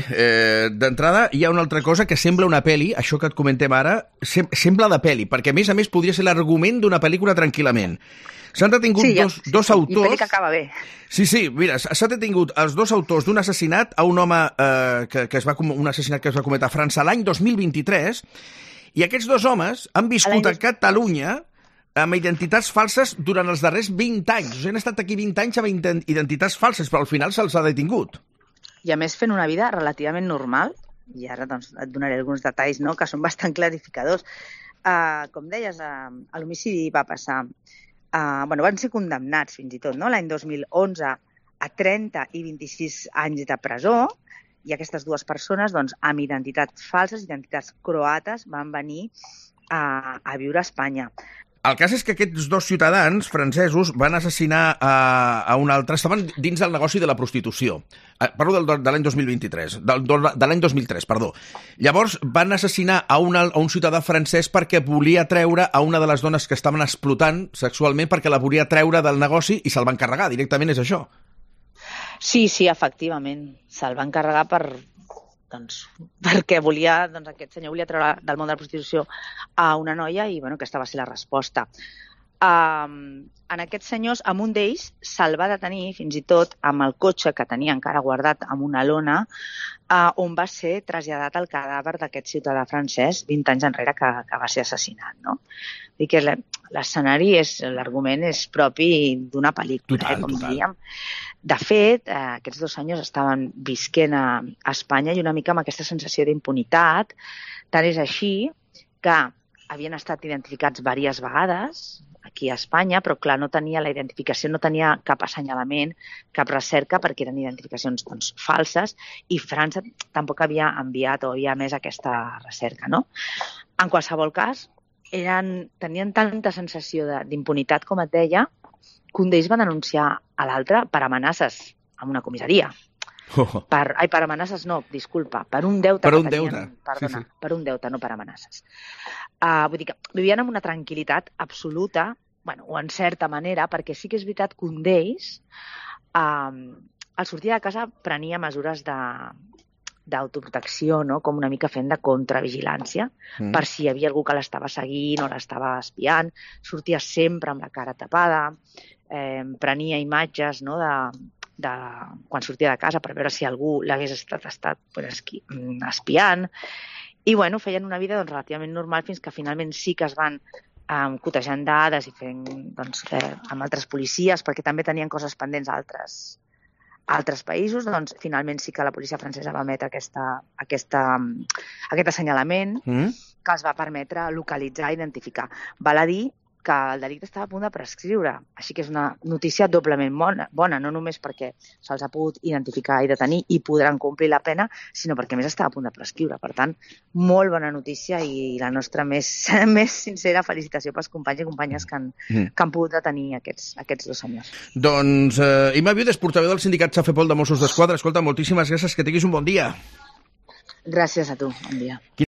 D'entrada, hi ha una altra cosa que sembla una pel·li, això que et comentem ara, sembla de pel·li, perquè a més podria ser l'argument d'una pel·lícula tranquil·lament. S'han detingut dos autors... I pel·li que acaba bé. Sí, mira, s'ha detingut els dos autors d'un assassinat a un home un assassinat que es va cometre a França l'any 2023, i aquests dos homes han viscut a Catalunya amb identitats falses durant els darrers 20 anys. O sigui, han estat aquí 20 anys amb identitats falses, però al final se'ls ha detingut. I a més fent una vida relativament normal, i ara doncs, et donaré alguns detalls, no?, que són bastant clarificadors. Com deies, l'homicidi va passar... van ser condemnats fins i tot, no?, l'any 2011 a 30 i 26 anys de presó, i aquestes dues persones, doncs, amb identitats falses, identitats croates, van venir a viure a Espanya. El cas és que aquests dos ciutadans francesos van assassinar a un altre... Estaven dins del negoci de la prostitució. Parlo de l'any 2023. De l'any 2003, perdó. Llavors van assassinar a un ciutadà francès perquè volia treure a una de les dones que estaven explotant sexualment, perquè la volia treure del negoci i se'l van carregar. Directament és això. Sí, efectivament. Se'l van carregar perquè aquest senyor volia treure del món de la prostitució a una noia i aquesta va ser la resposta. En aquests senyors, amb un d'ells se'l va detenir fins i tot amb el cotxe que tenia encara guardat amb una lona, on va ser traslladat el cadàver d'aquest ciutadà francès 20 anys enrere que va ser assassinat. No? Vull dir que l'escenari, l'argument és propi d'una pel·lícula, com diríem. De fet, aquests 2 senyors estaven visquent a Espanya i una mica amb aquesta sensació d'impunitat. Tant és així que havien estat identificats diverses vegades aquí a Espanya, però clar, no tenia la identificació, no tenia cap assenyalament, cap recerca, perquè eren identificacions falses, i França tampoc havia enviat o havia emès aquesta recerca. No? En qualsevol cas, tenien tanta sensació d'impunitat, com et deia, que un d'ells va denunciar a l'altre per amenaces en una comissaria. Per amenaces no, disculpa, per un deute. Per un deute. Perdona, sí. Per un deute, no per amenaces. Vull dir que vivien amb una tranquil·litat absoluta, o en certa manera, perquè sí que és veritat que un d'ells, al sortir de casa, prenia mesures d'autoprotecció, no? Com una mica fent de contravigilància, per si hi havia algú que l'estava seguint o l'estava espiant. Sortia sempre amb la cara tapada, prenia imatges, no?, de quan sortia de casa per veure si algú l'hagués estat espiant. I feien una vida relativament normal fins que finalment sí que es van cotejant dades i fent amb altres policies, perquè també tenien coses pendents a altres països. Finalment sí que la policia francesa va emetre aquest assenyalament que els va permetre localitzar i identificar. Val a dir que el delicte estava a punt de prescriure. Així que és una notícia doblement bona, no només perquè se'ls ha pogut identificar i detenir i podran complir la pena, sinó perquè més estava a punt de prescriure. Per tant, molt bona notícia i la nostra més sincera felicitació pels companys i companyes que han pogut detenir aquests 2 senyors. Doncs, Imma Viudes, portaveu del sindicat Safepol de Mossos d'Esquadra. Escolta, moltíssimes gràcies, que tinguis un bon dia. Gràcies a tu, bon dia.